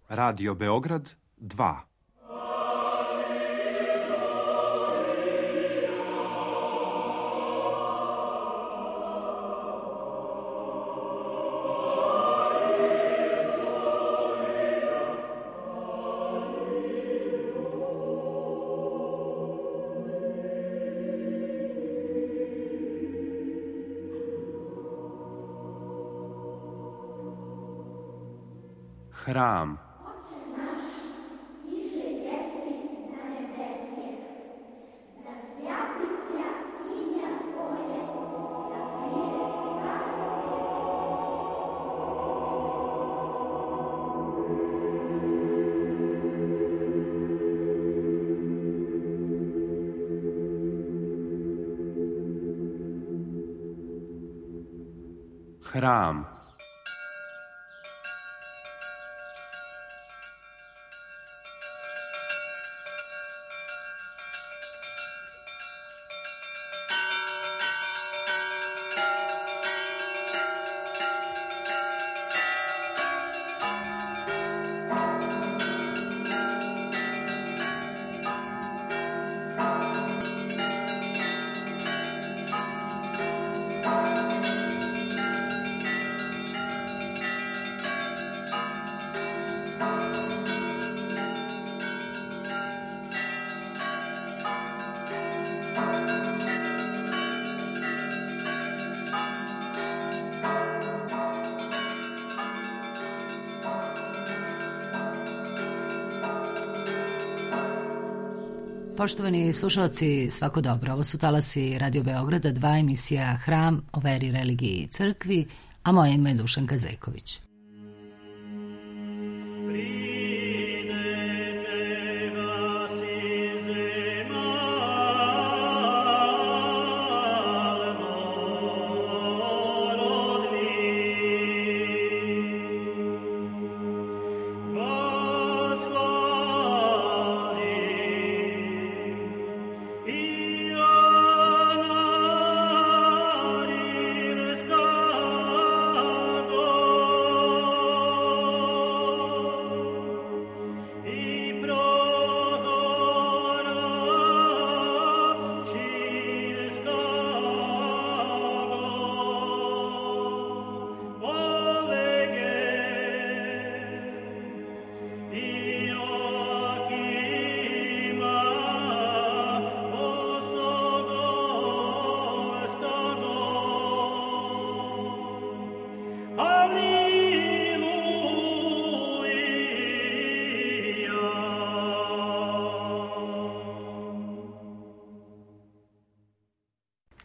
Radio Beograd 2. Hram. Hram. Poštovani slušalci, svako dobro. Ovo su talasi Radio Beograda 2, emisija Hram o veri, religiji i crkvi, a moje ime je Dušanka Zejković.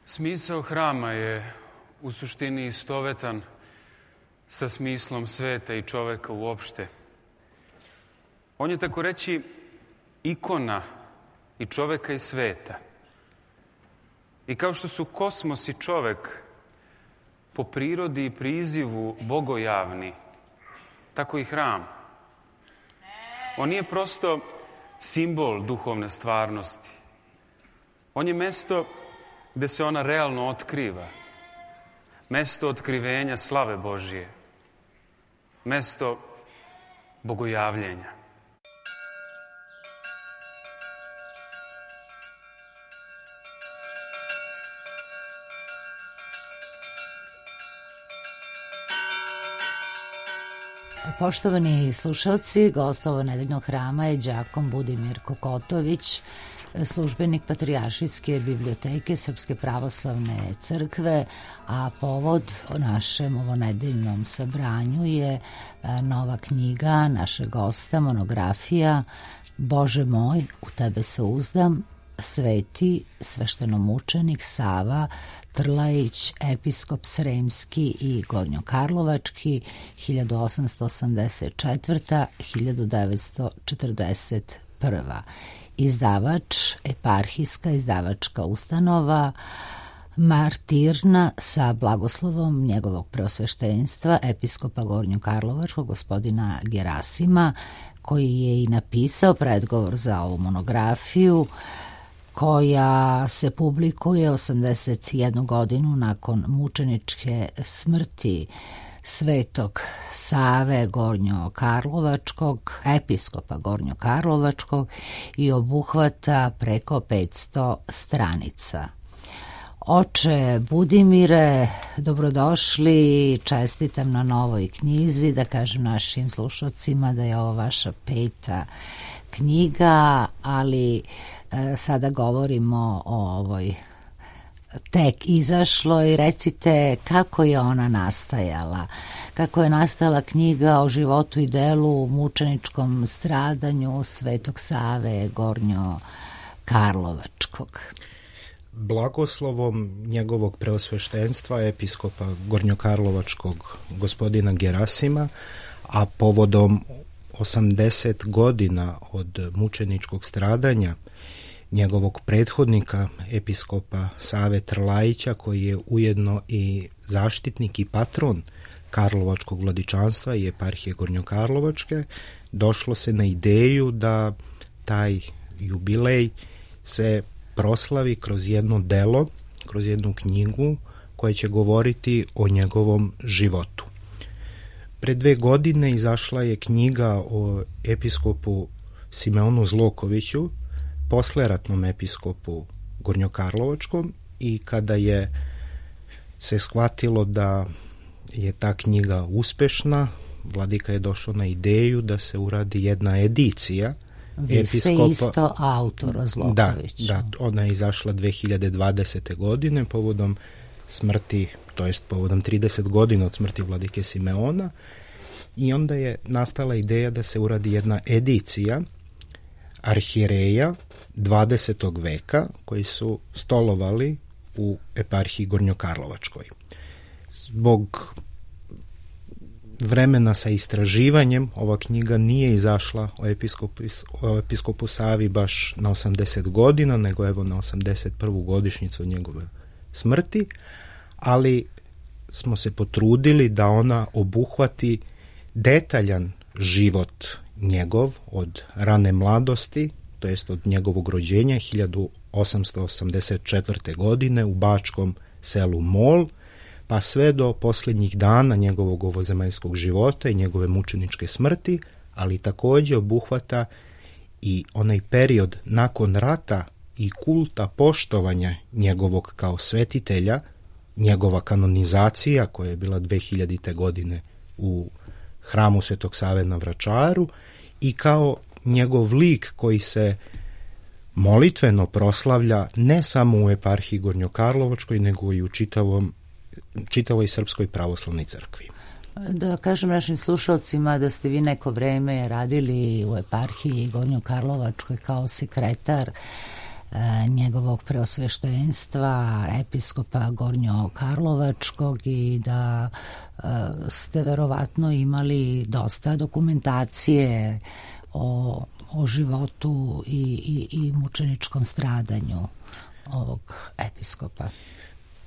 Smisao hrama je u suštini istovetan sa smislom sveta i čoveka uopšte. On je, tako reći, ikona i čoveka i sveta. I kao što su kosmos i čovek po prirodi i prizivu bogojavni, tako i hram. On nije prosto simbol duhovne stvarnosti. On je mesto gde se ona realno otkriva. Mesto otkrivenja slave Božije. Mesto bogojavljenja. Poštovani slušalci, gost ovo nedeljnog hrama je đakon Budimir Kokotović, službenik Patrijaršijske biblioteke Srpske pravoslavne crkve, a povod o našem ovonedeljnom sabranju je nova knjiga našeg gosta, monografija Bože moj, u tebe se uzdam, sveti sveštenomučenik Sava Trlajić, episkop Sremski i Gornjokarlovački, 1884-1941. Izdavač, eparhijska izdavačka ustanova Martirna sa blagoslovom njegovog preosveštenstva, episkopa Gornjokarlovačkog, gospodina Gerasima, koji je i napisao predgovor za ovu monografiju, koja se publikuje 81 godinu nakon mučeničke smrti Svetog Save Gornjokarlovačkog, episkopa Gornjokarlovačkog i obuhvata preko 500 stranica. Oče Budimire, dobrodošli, čestitam na novoj knjizi, da kažem našim slušalcima da je ovo vaša 5. knjiga, ali sada govorimo o ovoj tek izašloj. Recite kako je ona nastajala, kako je nastala knjiga o životu i delu mučeničkom stradanju Svetog Save Gornjokarlovačkog. Blagoslovom njegovog preosveštenstva episkopa Gornjokarlovačkog gospodina Gerasima, a povodom 80 godina od mučeničkog stradanja njegovog prethodnika episkopa Save Trlajića, koji je ujedno i zaštitnik i patron Karlovačkog vladičanstva i eparhije Gornjokarlovačke, došlo se na ideju da taj jubilej se proslavi kroz jedno delo, kroz jednu knjigu koja će govoriti o njegovom životu. Pre 2 godine izašla je knjiga o episkopu Simeonu Zlokoviću, posleratnom episkopu Gornjokarlovačkom, i kada je se shvatilo da je ta knjiga uspešna, vladika je došao na ideju da se uradi jedna edicija. Vi ste isto autor Zloković. Da, ona je izašla 2020. godine povodom smrti, to jest povodom 30 godina od smrti vladike Simeona, i onda je nastala ideja da se uradi jedna edicija arhijereja 20. veka koji su stolovali u eparhiji Gornjokarlovačkoj. Zbog vremena sa istraživanjem ova knjiga nije izašla o episkopu Savi baš na 80 godina, nego evo na 81. godišnjicu njegove smrti, ali smo se potrudili da ona obuhvati detaljan život njegov od rane mladosti, to jest od njegovog rođenja 1884. godine u bačkom selu Mol, pa sve do posljednjih dana njegovog ovozemaljskog života i njegove mučeničke smrti, ali također obuhvata i onaj period nakon rata i kulta poštovanja njegovog kao svetitelja, njegova kanonizacija koja je bila 2000. godine u hramu Svetog Save na Vračaru, i kao njegov lik koji se molitveno proslavlja ne samo u eparhiji Gornjokarlovačkoj, nego i u čitavoj Srpskoj pravoslavnoj crkvi. Da kažem našim slušalcima da ste vi neko vreme radili u eparhiji Gornjokarlovačkoj kao sekretar njegovog preosveštenstva episkopa Gornjokarlovačkog i da ste verovatno imali dosta dokumentacije o životu i mučeničkom stradanju ovog episkopa.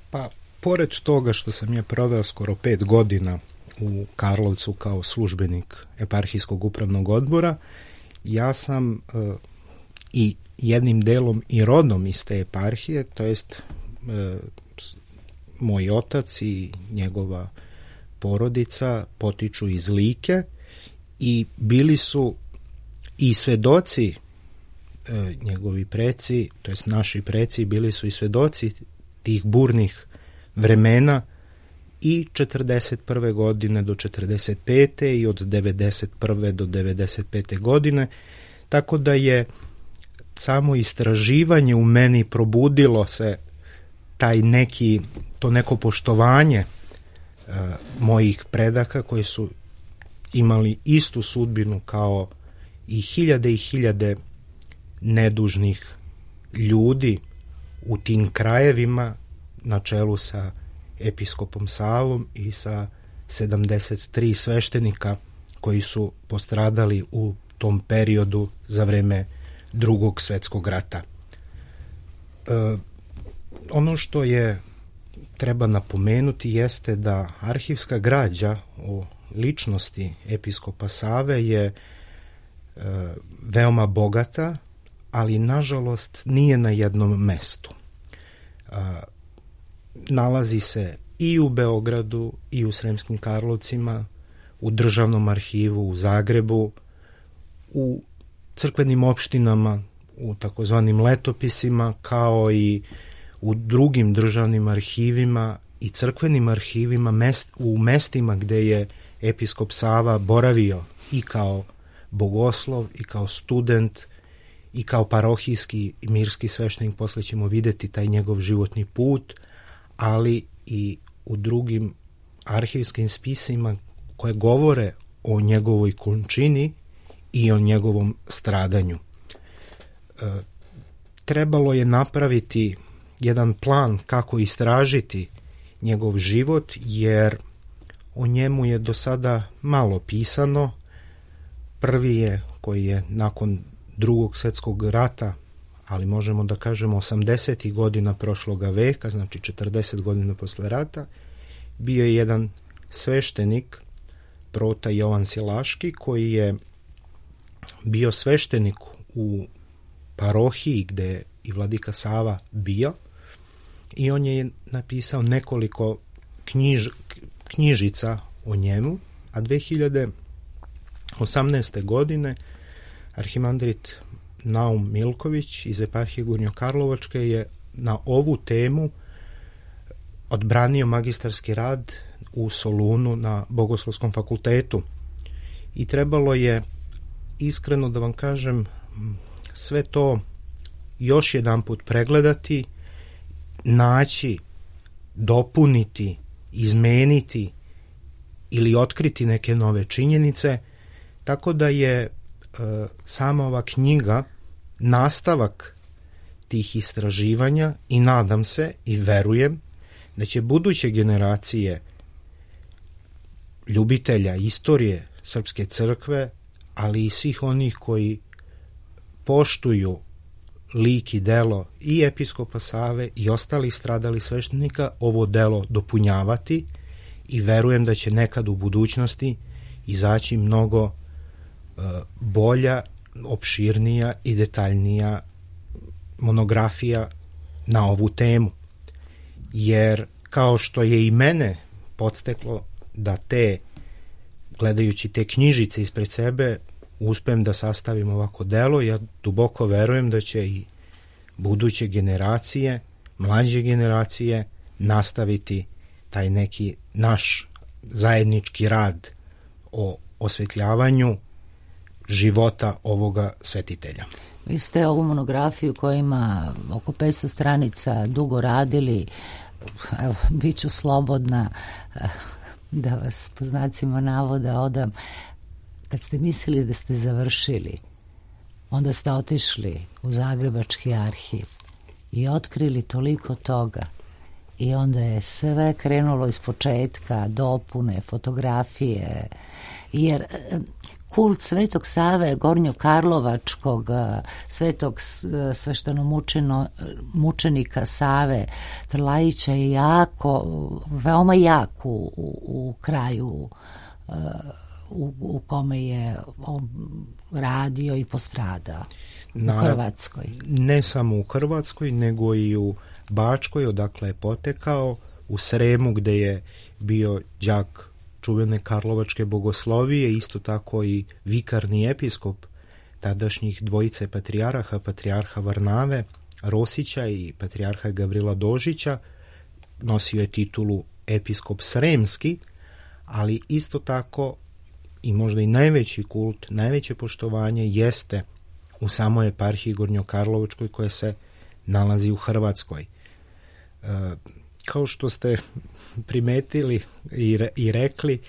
Pa, pored toga što sam ja proveo skoro 5 godina u Karlovcu kao službenik eparhijskog upravnog odbora, ja sam i jednim delom i rodom iz te eparhije, to jest moj otac i njegova porodica potiču iz Like i bili su i svedoci, njegovi preci, to jest naši preci, bili su i svedoci tih burnih vremena i 41. godine do 45. i od 91. do 95. godine, tako da je samo istraživanje u meni probudilo se to neko poštovanje mojih predaka koji su imali istu sudbinu kao i hiljade nedužnih ljudi u tim krajevima na čelu sa episkopom Savom i sa 73 sveštenika koji su postradali u tom periodu za vreme Drugog svjetskog rata. Ono što je treba napomenuti jeste da arhivska građa o ličnosti episkopa Save je veoma bogata, ali nažalost nije na jednom mestu. Nalazi se i u Beogradu i u Sremskim Karlovcima, u Državnom arhivu u Zagrebu, u crkvenim opštinama, u takozvanim letopisima, kao i u drugim državnim arhivima i crkvenim arhivima u mestima gde je episkop Sava boravio i kao bogoslov i kao student i kao parohijski i mirski sveštenik. Posle ćemo videti taj njegov životni put, ali i u drugim arhivskim spisima koje govore o njegovoj končini i o njegovom stradanju. Trebalo je napraviti jedan plan kako istražiti njegov život, jer o njemu je do sada malo pisano. Prvi je, koji je nakon Drugog svjetskog rata, ali možemo da kažemo 80. godina prošloga veka, znači 40 godina posle rata, bio je jedan sveštenik, prota Jovan Silaški, koji je bio sveštenik u parohiji gde je i vladika Sava bio, i on je napisao nekoliko knjižica o njemu, a 2018. godine arhimandrit Naum Milković iz eparhije Gornjokarlovačke je na ovu temu odbranio magistarski rad u Solunu na Bogoslovskom fakultetu. I trebalo je, iskreno da vam kažem, sve to još jedan put pregledati, naći, dopuniti, izmeniti ili otkriti neke nove činjenice, tako da je sama ova knjiga nastavak tih istraživanja i nadam se i verujem da će buduće generacije ljubitelja istorije Srpske crkve, ali i svih onih koji poštuju lik i delo i episkopa Save i ostalih stradalih sveštenika, ovo delo dopunjavati, i verujem da će nekad u budućnosti izaći mnogo bolja, opširnija i detaljnija monografija na ovu temu. Jer kao što je i mene podsteklo da gledajući te knjižice ispred sebe, uspem da sastavim ovako delo, ja duboko verujem da će i buduće generacije, mlađe generacije, nastaviti taj neki naš zajednički rad o osvetljavanju života ovoga svetitelja. Vi ste ovu monografiju koja ima oko 500 stranica dugo radili. Evo, bit ću slobodna da vas po znacima navoda odam. Kad ste mislili da ste završili, onda ste otišli u Zagrebački arhiv i otkrili toliko toga, i onda je sve krenulo iz početka, dopune, fotografije, jer kult Svetog Save Gornjokarlovačkog, svetog sveštenomučenika Save Trlajića je veoma jak u kraju u kome je on radio i postradao, u Hrvatskoj. Ne samo u Hrvatskoj, nego i u Bačkoj, odakle je potekao, u Sremu gde je bio đak čuvene Karlovačke bogoslovije, isto tako i vikarni episkop tadašnjih dvojice patrijarha, patrijarha Varnave Rosića i patrijarha Gavrila Dožića. Nosio je titulu episkop Sremski, ali isto tako i možda i najveći kult, najveće poštovanje jeste u samoj eparhiji Gornjokarlovačkoj koja se nalazi u Hrvatskoj. Kao što ste primetili i rekli,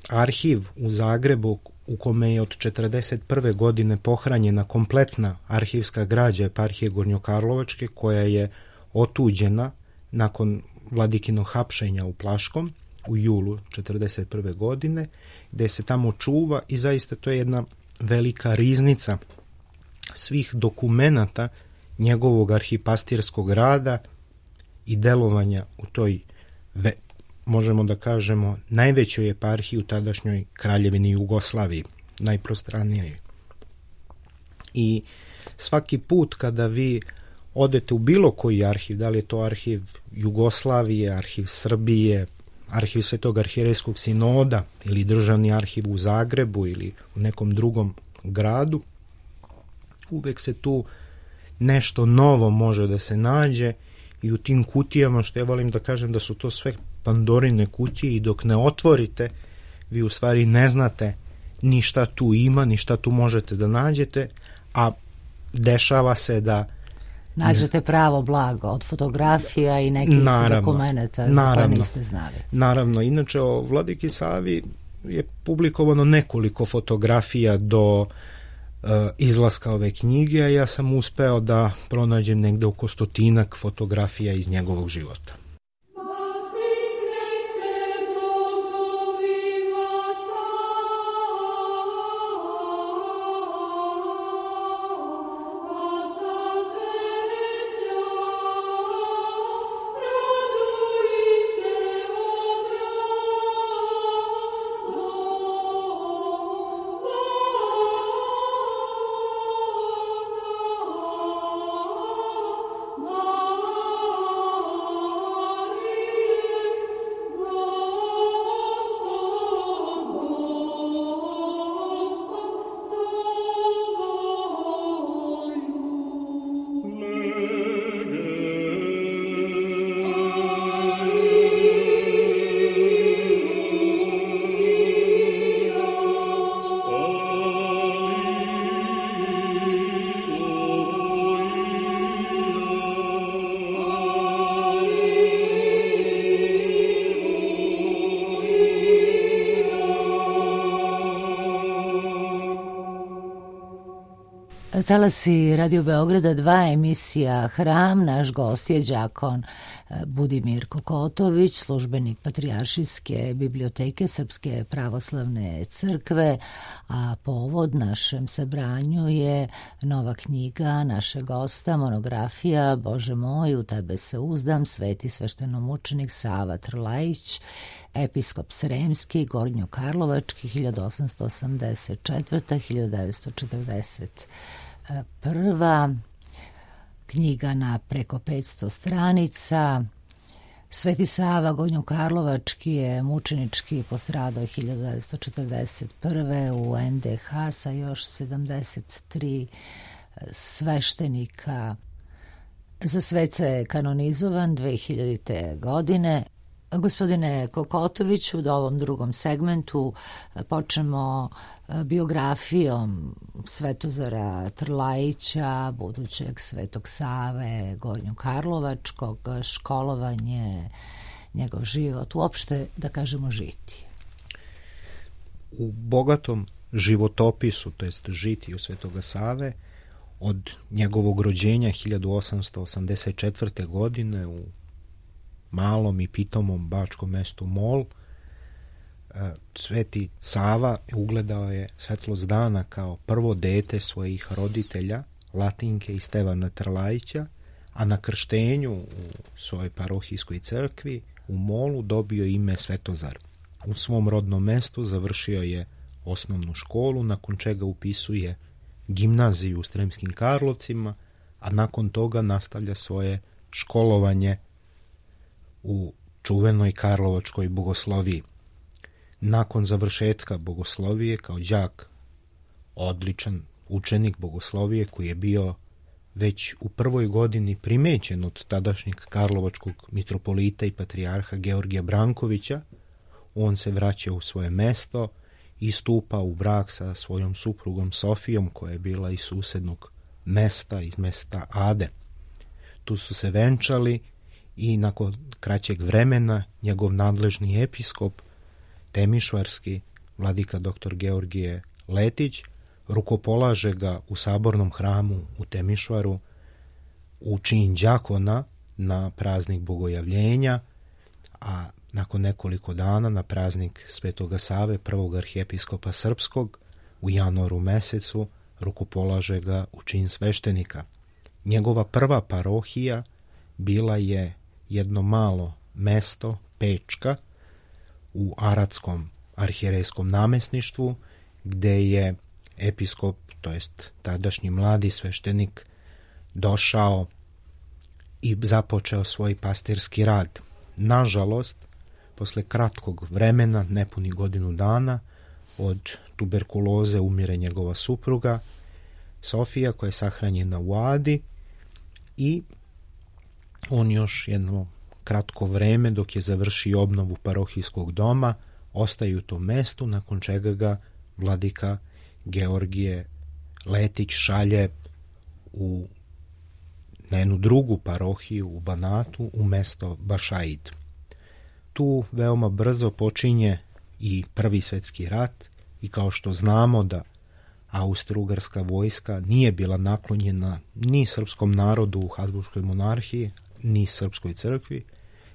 arhiv u Zagrebu u kome je od 1941. godine pohranjena kompletna arhivska građa eparhije Gornjokarlovačke, koja je otuđena nakon vladikinog hapšenja u Plaškom u julu 1941. godine, gde se tamo čuva, i zaista to je jedna velika riznica svih dokumenata njegovog arhipastirskog rada i delovanja u toj, možemo da kažemo, najvećoj eparhiji u tadašnjoj Kraljevini Jugoslaviji, najprostranijoj. I svaki put kada vi odete u bilo koji arhiv, da li je to arhiv Jugoslavije, arhiv Srbije, arhiv Svetog arhijerejskog sinoda ili državni arhiv u Zagrebu ili u nekom drugom gradu, uvek se tu nešto novo može da se nađe i u tim kutijama, što ja volim da kažem da su to sve Pandorine kutije i dok ne otvorite, vi u stvari ne znate ni šta tu ima, ni šta tu možete da nađete, a dešava se da nađete pravo blago od fotografija i nekih dokumenta za koje niste znali. Naravno, inače o Vladiki Savi je publikovano nekoliko fotografija do izlaska ove knjige, a ja sam uspeo da pronađem negde oko 100 fotografija iz njegovog života. Talasi Radio Beograda 2, emisija Hram. Naš gost je đakon Budimir Kokotović, službenik Patrijaršijske biblioteke Srpske pravoslavne crkve, a povod našem sabranju je nova knjiga našeg gosta, monografija Bože moj, u tebe se uzdam, sveti sveštenomučenik Sava Trlajić, episkop Sremski, Gornjokarlovački, 1884-1941. Knjiga na preko 500 stranica. Sveti Sava Gornjokarlovački je mučenički postradao 1941. u NDH sa još 73 sveštenika. Za sveca je kanonizovan 2000. godine. Gospodine Kokotoviću, u ovom drugom segmentu počnemo biografijom Svetozara Trlajića, budućeg Svetog Save Gornjokarlovačkog, školovanje, njegov život, uopšte da kažemo žitije. U bogatom životopisu, to jest žitiju Svetoga Save, od njegovog rođenja 1884. godine u malom i pitomom bačkom mestu Mol, Sveti Sava ugledao je svetlost dana kao prvo dete svojih roditelja, Latinke i Stevana Trlajića, a na krštenju u svojoj parohijskoj crkvi u Molu dobio ime Svetozar. U svom rodnom mestu završio je osnovnu školu, nakon čega upisuje gimnaziju u Sremskim Karlovcima, a nakon toga nastavlja svoje školovanje u čuvenoj Karlovačkoj bogosloviji. Nakon završetka bogoslovije kao đak, odličan učenik bogoslovije koji je bio već u prvoj godini primećen od tadašnjeg karlovačkog mitropolita i patrijarha Georgija Brankovića, on se vraća u svoje mesto i stupa u brak sa svojom suprugom Sofijom, koja je bila iz susednog mesta, iz mesta Ade. Tu su se venčali i nakon kraćeg vremena njegov nadležni episkop Temišvarski, vladika dr. Georgije Letić, rukopolaže ga u sabornom hramu u Temišvaru u čin đakona na praznik Bogojavljenja, a nakon nekoliko dana na praznik Svetoga Save, prvog arhijepiskopa srpskog, u januaru mesecu rukopolaže ga u čin sveštenika. Njegova prva parohija bila je jedno malo mesto, Pečka, u Aratskom arhijerejskom namesništvu, gde je episkop, to jest tadašnji mladi sveštenik, došao i započeo svoj pastirski rad. Nažalost, posle kratkog vremena, nepunih godinu dana, od tuberkuloze umire njegova supruga Sofija, koja je sahranjena u Adi, i on još jedno kratko vreme, dok je završio obnovu parohijskog doma, ostaje u tom mestu, nakon čega ga vladika Georgije Letić šalje na jednu drugu parohiju u Banatu, u mesto Bašaid. Tu veoma brzo počinje i Prvi svjetski rat, i kao što znamo da Austro-Ugarska vojska nije bila naklonjena ni srpskom narodu u Habsburškoj monarhiji, ni srpskoj crkvi,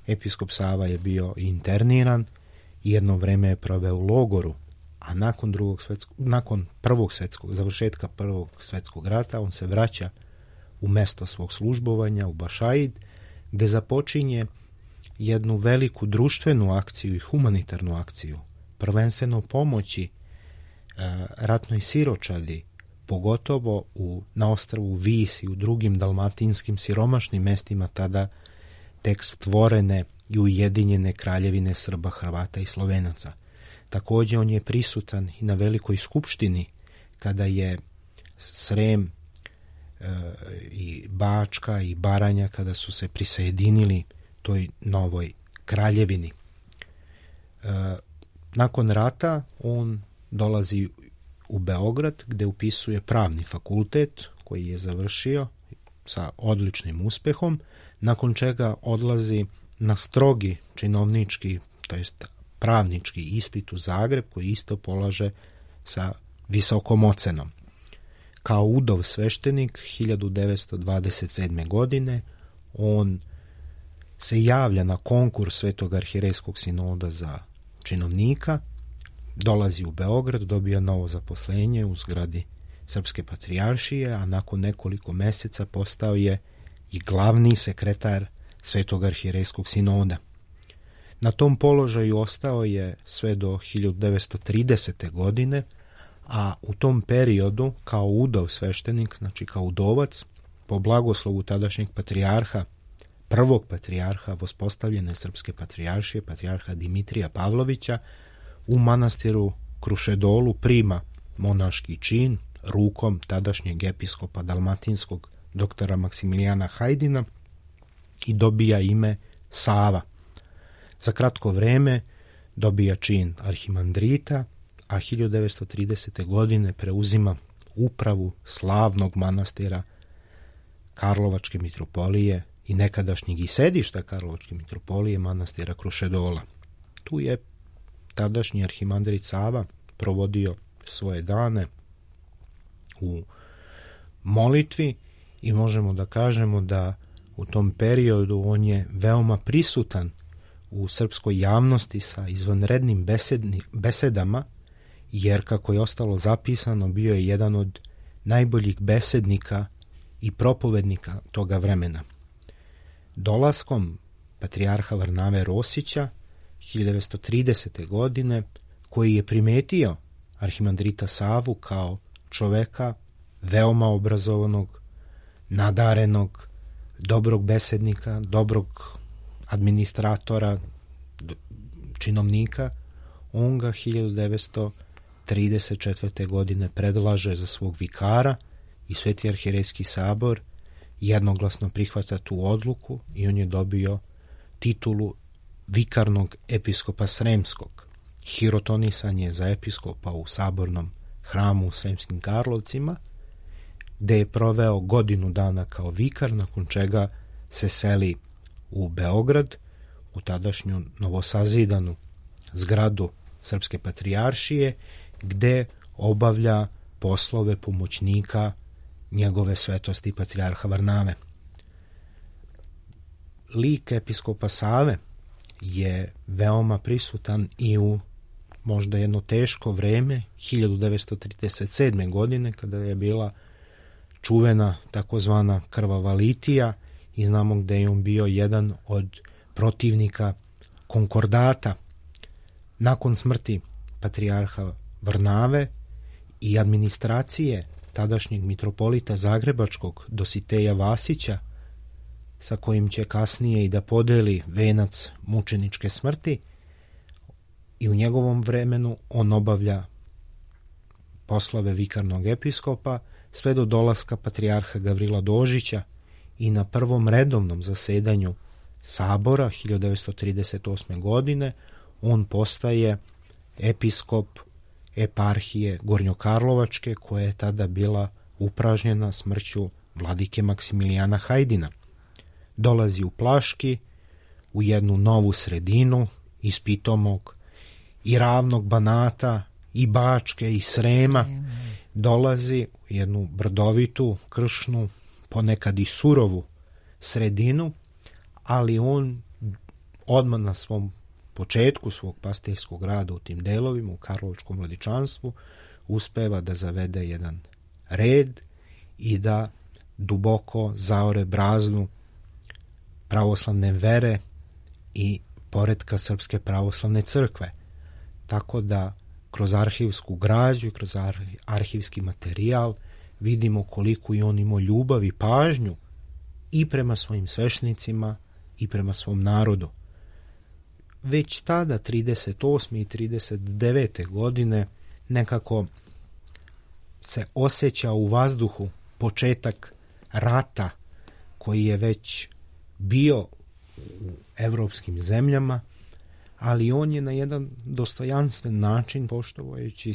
episkop Sava je bio interniran i jedno vreme je proveo u logoru, a nakon završetka Prvog svjetskog rata on se vraća u mesto svog službovanja, u Bašaid, gde započinje jednu veliku društvenu akciju i humanitarnu akciju, prvenstveno pomoći ratnoj siročadi, pogotovo na ostrvu Vis i u drugim dalmatinskim siromašnim mestima tada tek stvorene i ujedinjene kraljevine Srba, Hrvata i Slovenaca. Također on je prisutan i na velikoj skupštini kada je Srem i Bačka i Baranja, kada su se prisajedinili toj novoj kraljevini. Nakon rata on dolazi u Beograd, gde upisuje pravni fakultet koji je završio sa odličnim uspehom, nakon čega odlazi na strogi činovnički, to jest pravnički ispit u Zagreb, koji isto polaže sa visokom ocenom. Kao udov sveštenik 1927. godine on se javlja na konkurs Svetog arhirejskog sinoda za činovnika, dolazi u Beograd, dobija novo zaposlenje u zgradi Srpske patrijaršije, a nakon nekoliko mjeseca postao je i glavni sekretar Svetog arhirejskog sinoda. Na tom položaju ostao je sve do 1930. godine, a u tom periodu kao udov sveštenik, znači kao udovac, po blagoslovu tadašnjeg patrijarha, prvog patrijarha vospostavljene Srpske patrijaršije, patrijarha Dimitrija Pavlovića, u manastiru Krušedolu prima monaški čin rukom tadašnjeg episkopa dalmatinskog doktora Maksimilijana Hajdina i dobija ime Sava. Za kratko vreme dobija čin arhimandrita, a 1930. godine preuzima upravu slavnog manastira Karlovačke mitropolije i nekadašnjeg i sedišta Karlovačke mitropolije, manastira Krušedola. Tu je tadašnji arhimandrit Sava provodio svoje dane u molitvi i možemo da kažemo da u tom periodu on je veoma prisutan u srpskoj javnosti sa izvanrednim besedama, jer kako je ostalo zapisano bio je jedan od najboljih besednika i propovednika toga vremena. Dolaskom patrijarha Varnave Rosića 1930. godine, koji je primetio arhimandrita Savu kao čoveka veoma obrazovanog, nadarenog, dobrog besednika, dobrog administratora, činovnika, on ga 1934. godine predlaže za svog vikara i Sveti arhirejski sabor jednoglasno prihvata tu odluku i on je dobio titulu vikarnog episkopa Sremskog. Hirotonisan je za episkopa u sabornom hramu u Sremskim Karlovcima, gde je proveo godinu dana kao vikar, nakon čega se seli u Beograd, u tadašnju novosazidanu zgradu Srpske patrijaršije, gde obavlja poslove pomoćnika njegove svetosti patrijarha Varnave. Lik episkopa Save je veoma prisutan i u možda jedno teško vreme 1937. godine, kada je bila čuvena takozvana krvava litija i znamo gde je on bio jedan od protivnika konkordata. Nakon smrti patrijarha Varnave i administracije tadašnjeg mitropolita Zagrebačkog Dositeja Vasića, sa kojim će kasnije i da podeli venac mučeničke smrti, i u njegovom vremenu on obavlja poslove vikarnog episkopa sve do dolaska patrijarha Gavrila Dožića i na prvom redovnom zasedanju sabora 1938. godine on postaje episkop eparhije Gornjokarlovačke, koja je tada bila upražnjena smrću vladike Maksimilijana Hajdina. Dolazi u Plaški, u jednu novu sredinu iz pitomog i ravnog Banata i Bačke i Srema, dolazi u jednu brdovitu, kršnu, ponekad i surovu sredinu, ali on odmah na svom početku svog pastirskog rada u tim delovima, u karlovačkom vladičanstvu, uspeva da zavede jedan red i da duboko zaore braznu pravoslavne vere i poretka Srpske pravoslavne crkve. Tako da kroz arhivsku građu i kroz arhivski materijal vidimo koliko je on imao ljubav i pažnju i prema svojim sveštenicima i prema svom narodu. Već tada, 38. i 39. godine, nekako se osjeća u vazduhu početak rata koji je već bio u evropskim zemljama, ali on je na jedan dostojanstven način, poštovajući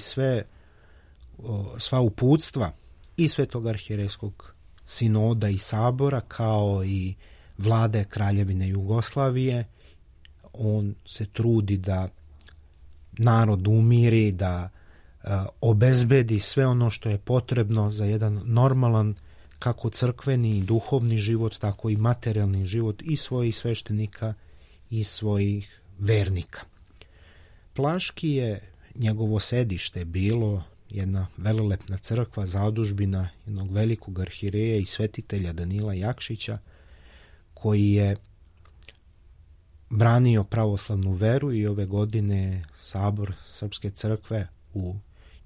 sva uputstva i Svetog arhijerejskog sinoda i sabora, kao i vlade Kraljevine Jugoslavije, on se trudi da narod umiri, da obezbedi sve ono što je potrebno za jedan normalan, kako crkveni i duhovni život, tako i materijalni život i svojih sveštenika i svojih vernika. Plaški je njegovo sedište bilo jedna velelepna crkva, zadužbina jednog velikog arhijereja i svetitelja Danila Jakšića, koji je branio pravoslavnu veru, i ove godine sabor Srpske crkve u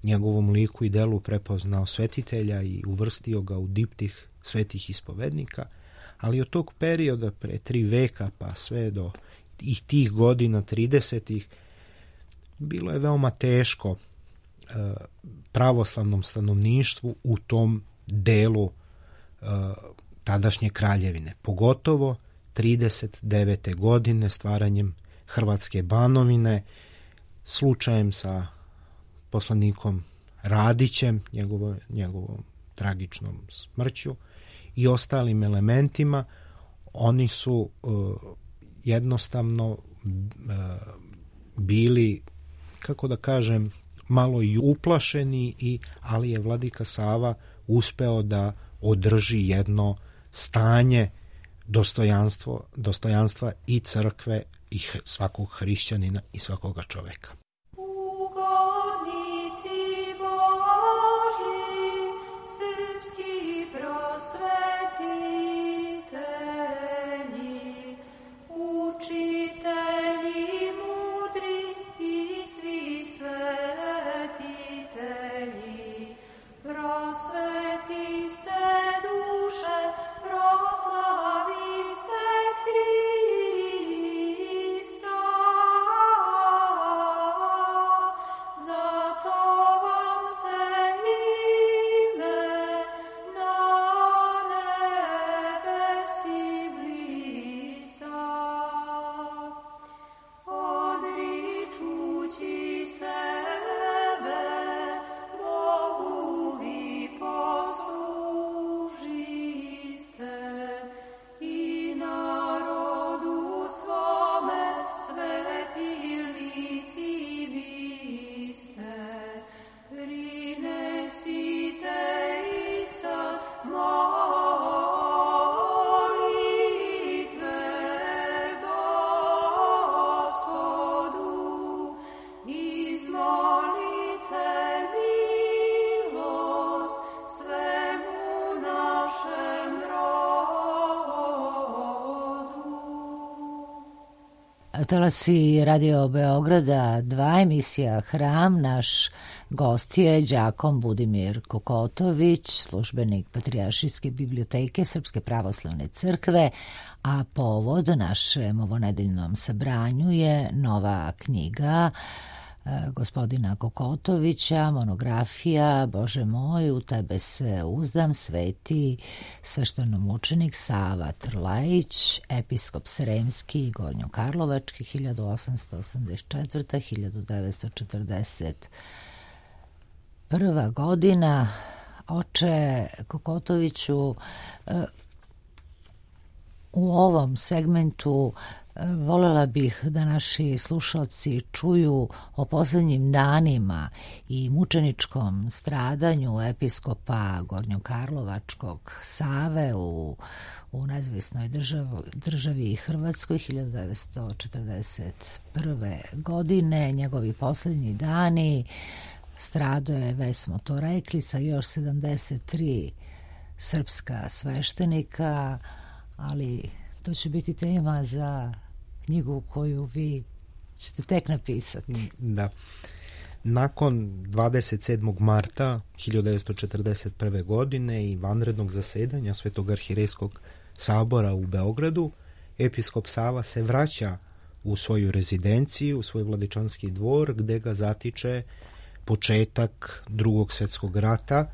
njegovom liku i delu prepoznao svetitelja i uvrstio ga u diptih svetih ispovednika, ali od tog perioda pre 3 veka pa sve do tih godina 30-ih bilo je veoma teško pravoslavnom stanovništvu u tom delu tadašnje kraljevine, pogotovo 39. godine stvaranjem Hrvatske Banovine, slučajem sa poslanikom Radićem, njegovom tragičnom smrću i ostalim elementima. Oni su jednostavno bili, kako da kažem, malo i uplašeni, ali je vladika Sava uspeo da održi jedno stanje dostojanstva i crkve i svakog hrišćanina i svakoga čoveka. Christ. Talasi Radio Beograda 2, emisija Hram. Naš gost je đakon Budimir Kokotović, službenik Patrijaršijske biblioteke Srpske pravoslavne crkve, a povod našem ovonedeljnom sabranju je nova knjiga gospodina Kokotovića, monografija Bože moj, u tebe se uzdam, sveti sveštenomučenik Sava Trlajić, episkop Sremski i Gornjokarlovački 1884-1941 godina. Oče Kokotoviću, u ovom segmentu voljela bih da naši slušalci čuju o posljednjim danima i mučeničkom stradanju episkopa Gornjokarlovačkog Save u nezavisnoj državi Hrvatskoj 1941. godine. Njegovi posljednji dani, stradao je, već smo to rekli, sa još 73 srpska sveštenika, ali to će biti tema za knjigu koju vi ćete tek napisati. Da. Nakon 27. marta 1941. godine i vanrednog zasedanja Svetog arhirejskog sabora u Beogradu, episkop Sava se vraća u svoju rezidenciju, u svoj Vladičanski dvor, gde ga zatiče početak Drugog svjetskog rata,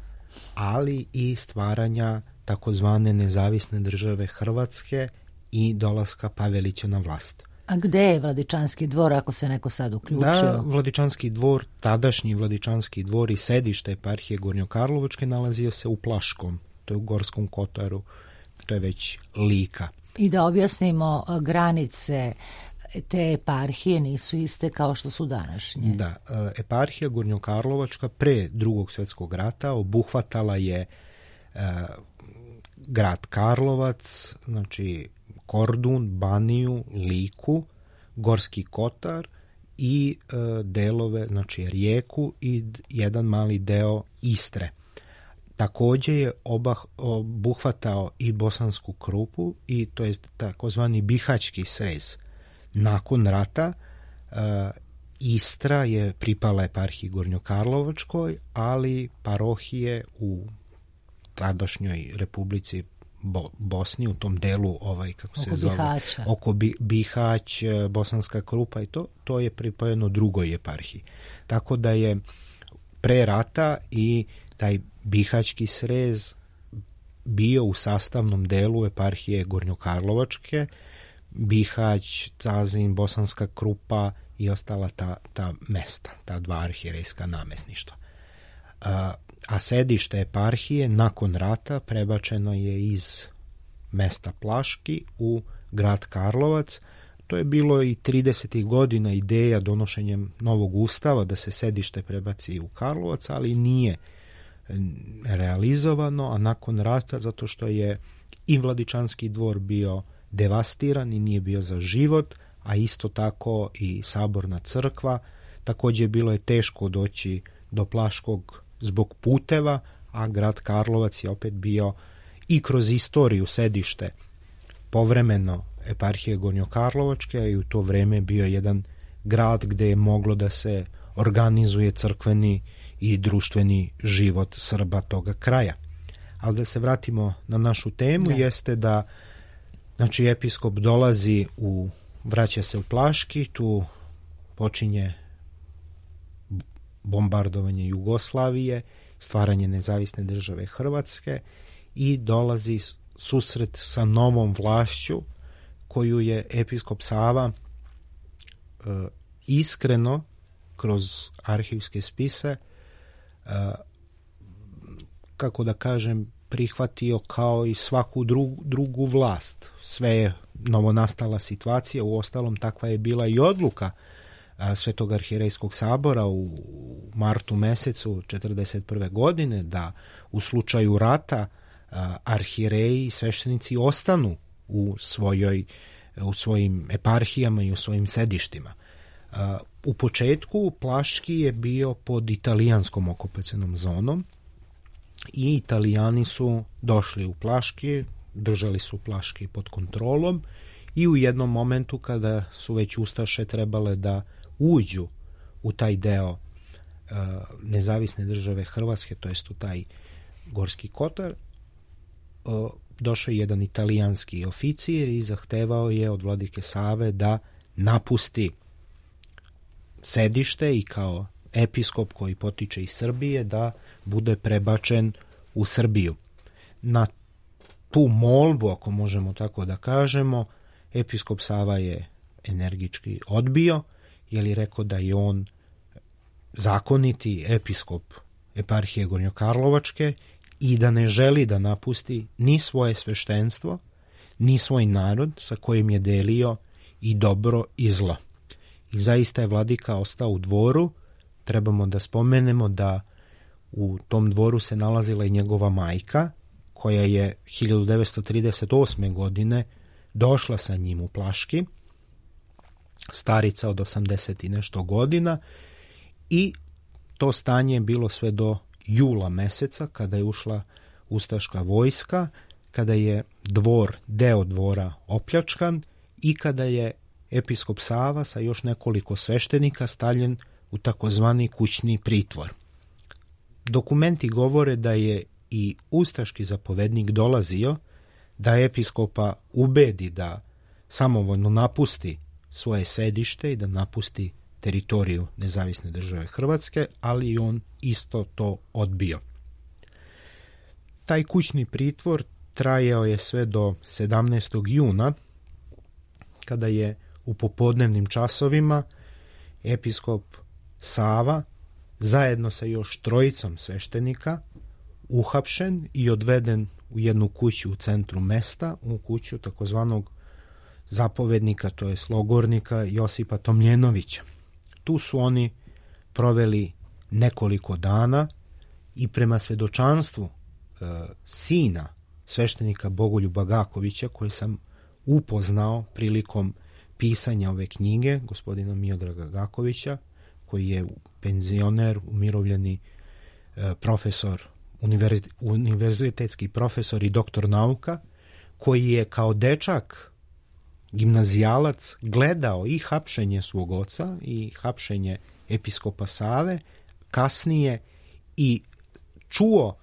ali i stvaranja takozvane nezavisne države Hrvatske i dolaska Pavelića na vlast. A gde je Vladičanski dvor, ako se neko sad uključio? Da, Vladičanski dvor, tadašnji Vladičanski dvor i sedište eparhije Gornjokarlovačke nalazio se u Plaškom, to je u Gorskom Kotaru, to je već Lika. I da objasnimo, granice te eparhije nisu iste kao što su današnje. Da, eparhija Gornjokarlovačka pre Drugog svjetskog rata obuhvatala je grad Karlovac, znači Kordun, Baniju, Liku, Gorski Kotar i delove, znači Rijeku i jedan mali deo Istre. Također je obuhvatao i Bosansku Krupu i to je takozvani Bihaćki srez. Nakon rata Istra je pripala eparhiji Gornjokarlovačkoj, ali parohije u tadašnjoj Republici Bosni, u tom delu kako se zove, oko Bihać, Bosanska Krupa i to je pripojeno drugoj eparhiji. Tako da je pre rata i taj Bihaćki srez bio u sastavnom delu eparhije Gornjokarlovačke, Bihać, Cazin, Bosanska Krupa i ostala ta mesta, ta dva arhirejska namesništva. A sedište eparhije nakon rata prebačeno je iz mesta Plaški u grad Karlovac. To je bilo i 30. godina ideja donošenjem novog ustava da se sedište prebaci u Karlovac, ali nije realizovano, a nakon rata, zato što je i Vladičanski dvor bio devastiran i nije bio za život, a isto tako i saborna crkva. Također bilo je teško doći do Plaškog zbog puteva, a grad Karlovac je opet bio i kroz istoriju sedište povremeno eparhije Gornjokarlovačke i u to vreme bio jedan grad gdje je moglo da se organizuje crkveni i društveni život Srba toga kraja. Ali da se vratimo na našu temu, jeste da znači episkop dolazi vraća se u Plaški, tu počinje bombardovanje Jugoslavije, stvaranje nezavisne države Hrvatske i dolazi susret sa novom vlašću koju je episkop Sava iskreno kroz arhivske spise kako da kažem prihvatio kao i svaku drugu vlast. Sve je novonastala situacija, uostalom takva je bila i odluka Svetog arhirejskog sabora u martu mesecu 1941. godine da u slučaju rata arhireji i sveštenici ostanu u svojim eparhijama i u svojim sedištima. U početku Plaški je bio pod italijanskom okupacionom zonom i Italijani su došli u Plaški, držali su Plaški pod kontrolom i u jednom momentu kada su već ustaše trebale da uđu u taj deo nezavisne države Hrvatske, to jest u taj Gorski Kotar, došao je jedan italijanski oficir i zahtevao je od vladike Save da napusti sedište i kao episkop koji potiče iz Srbije da bude prebačen u Srbiju. Na tu molbu, ako možemo tako da kažemo, episkop Sava je energički odbio, jer je rekao da je on zakoniti episkop eparhije Gornjokarlovačke i da ne želi da napusti ni svoje sveštenstvo, ni svoj narod sa kojim je delio i dobro i zlo. I zaista je vladika ostao u dvoru. Trebamo da spomenemo da u tom dvoru se nalazila i njegova majka, koja je 1938. godine došla sa njim u Plaški, starica od 80 i nešto godina, i to stanje je bilo sve do jula meseca, kada je ušla ustaška vojska, kada je deo dvora opljačkan i kada je episkop Sava sa još nekoliko sveštenika stavljen u takozvani kućni pritvor. Dokumenti govore da je i ustaški zapovednik dolazio da episkopa ubedi da samovoljno napusti svoje sedište i da napusti teritoriju nezavisne države Hrvatske, ali on isto to odbio. Taj kućni pritvor trajao je sve do 17. juna, kada je u popodnevnim časovima episkop Sava zajedno sa još trojicom sveštenika uhapšen i odveden u jednu kuću u centru mesta, u kuću takozvanog zapovednika, to je logornika Josipa Tomljenovića. Tu su oni proveli nekoliko dana i prema svedočanstvu sina sveštenika Bogoljuba Gakovića, koji sam upoznao prilikom pisanja ove knjige, gospodina Miodraga Gakovića, koji je penzioner, umirovljeni profesor, univerzitetski profesor i doktor nauka, koji je kao dečak, gimnazijalac, gledao i hapšenje svog oca i hapšenje episkopa Save, kasnije i čuo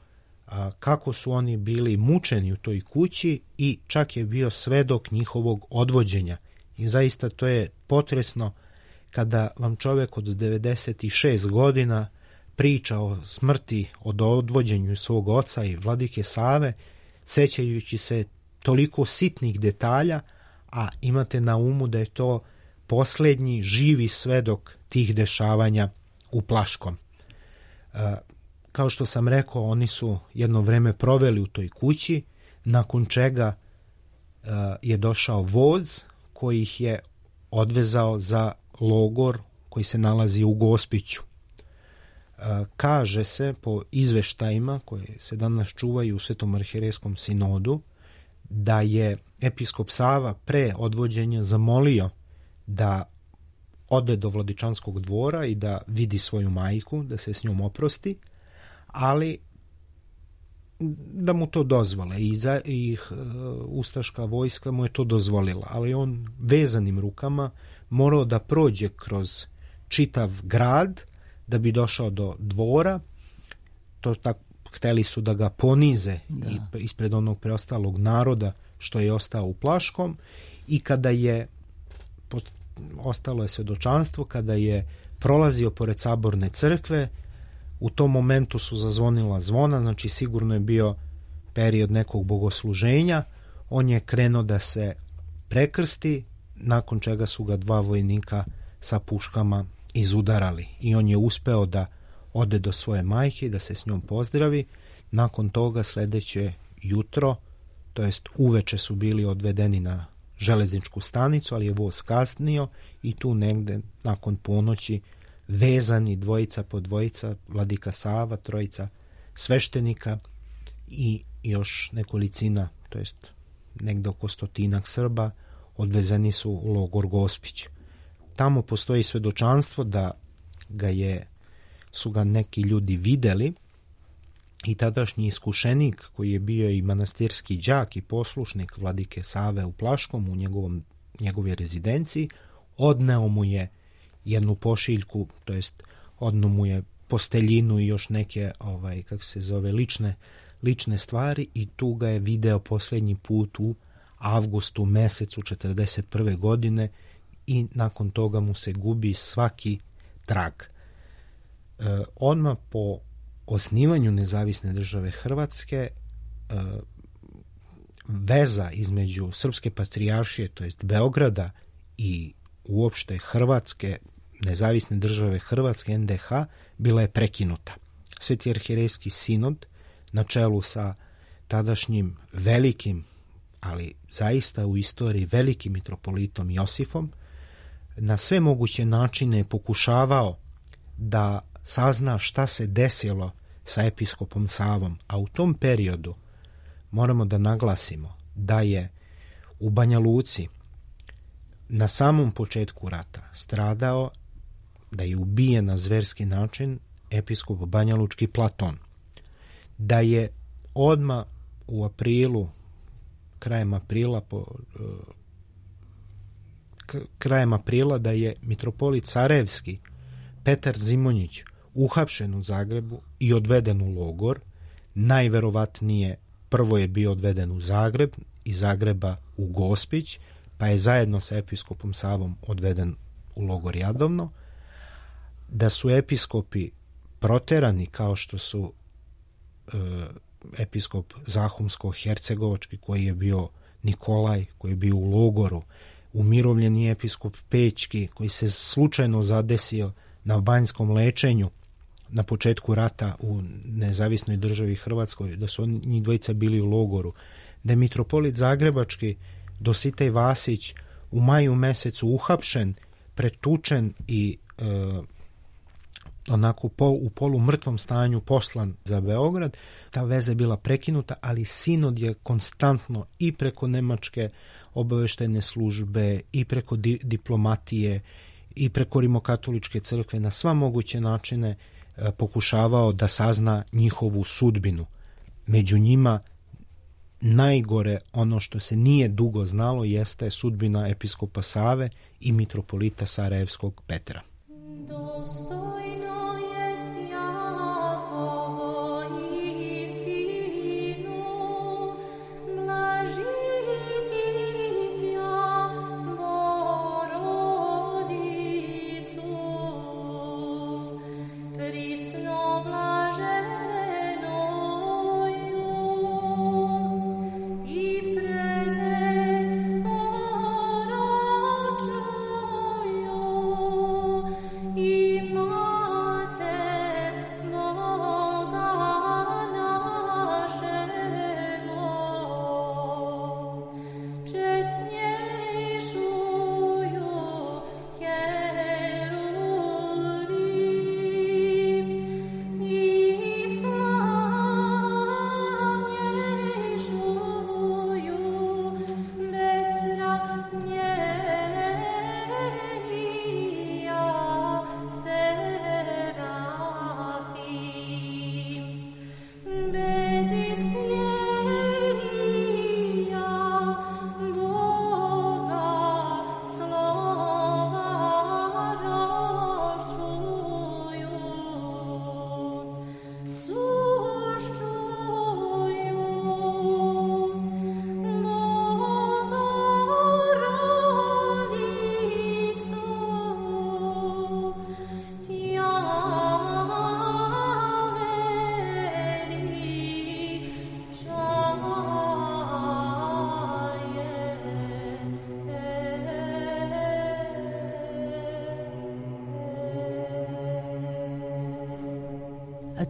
kako su oni bili mučeni u toj kući i čak je bio svedok njihovog odvođenja. I zaista to je potresno kada vam čovjek od 96 godina priča o smrti, o odvođenju svog oca i vladike Save, sećajući se toliko sitnih detalja, a imate na umu da je to posljednji živi svedok tih dešavanja u Plaškom. Kao što sam rekao, oni su jedno vreme proveli u toj kući, nakon čega je došao voz koji ih je odvezao za logor koji se nalazi u Gospiću. Kaže se po izveštajima koje se danas čuvaju u Svetom arhijerejskom sinodu da je episkop Sava pre odvođenja zamolio da ode do Vladičanskog dvora i da vidi svoju majku, da se s njom oprosti, ali da mu to dozvole i ustaška vojska mu je to dozvolila, ali on vezanim rukama morao da prođe kroz čitav grad da bi došao do dvora. To tako hteli su da ga ponize i ispred onog preostalog naroda što je ostao u Plaškom, i kada je ostalo je svedočanstvo, kada je prolazio pored Saborne crkve, u tom momentu su zazvonila zvona, znači sigurno je bio period nekog bogosluženja. On je krenuo da se prekrsti, nakon čega su ga dva vojnika sa puškama izudarali i on je uspeo da ode do svoje majke i da se s njom pozdravi. Nakon toga sledeće jutro, to jest uveče, su bili odvedeni na železničku stanicu, ali je voz kasnio i tu negde nakon ponoći vezani dvojica po dvojica, vladika Sava, trojica sveštenika i još nekolicina, to jest negde oko 100 Srba, odvezeni su u logor Gospić. Tamo postoji svedočanstvo da su ga neki ljudi videli i tadašnji iskušenik, koji je bio i manastirski đak i poslušnik vladike Save u Plaškom, u njegovom njegove rezidenciji, odneo mu je jednu pošiljku, to jest odneo mu je posteljinu i još neke lične stvari i tu ga je video posljednji put u avgustu mesecu 1941. godine i nakon toga mu se gubi svaki trag. Odmah po osnivanju Nezavisne države Hrvatske veza između Srpske patrijaršije, to jest Beograda, i uopšte Hrvatske, Nezavisne države Hrvatske, NDH, bila je prekinuta. Sveti arhierejski sinod na čelu sa tadašnjim velikim, ali zaista u istoriji velikim mitropolitom Josifom, na sve moguće načine je pokušavao da sazna šta se desilo sa episkopom Savom, a u tom periodu moramo da naglasimo da je u Banja Luci na samom početku rata stradao, da je ubijen na zverski način episkop banjalučki Platon, da je odmah u aprilu, krajem aprila da je mitropolit Sarajevski Petar Zimonjić uhapšen u Zagrebu i odveden u logor. Najverovatnije prvo je bio odveden u Zagreb, iz Zagreba u Gospić, pa je zajedno sa episkopom Savom odveden u logor Jadovno. Da su episkopi proterani kao što su episkop Zahumsko-Hercegovački koji je bio Nikolaj, koji je bio u logoru, umirovljeni episkop Pećki koji se slučajno zadesio na banjskom lečenju na početku rata u Nezavisnoj državi Hrvatskoj, da su njih dvojica bili u logoru, da je mitropolit Zagrebački Dositej Vasić u maju mesecu uhapšen, pretučen i onako u polumrtvom stanju poslan za Beograd. Ta veza je bila prekinuta, ali sinod je konstantno i preko Nemačke obaveštajne službe i preko diplomatije i preko Rimokatoličke crkve na sva moguće načine pokušavao da sazna njihovu sudbinu. Među njima najgore, ono što se nije dugo znalo, jeste sudbina episkopa Save i mitropolita Sarajevskog Petra.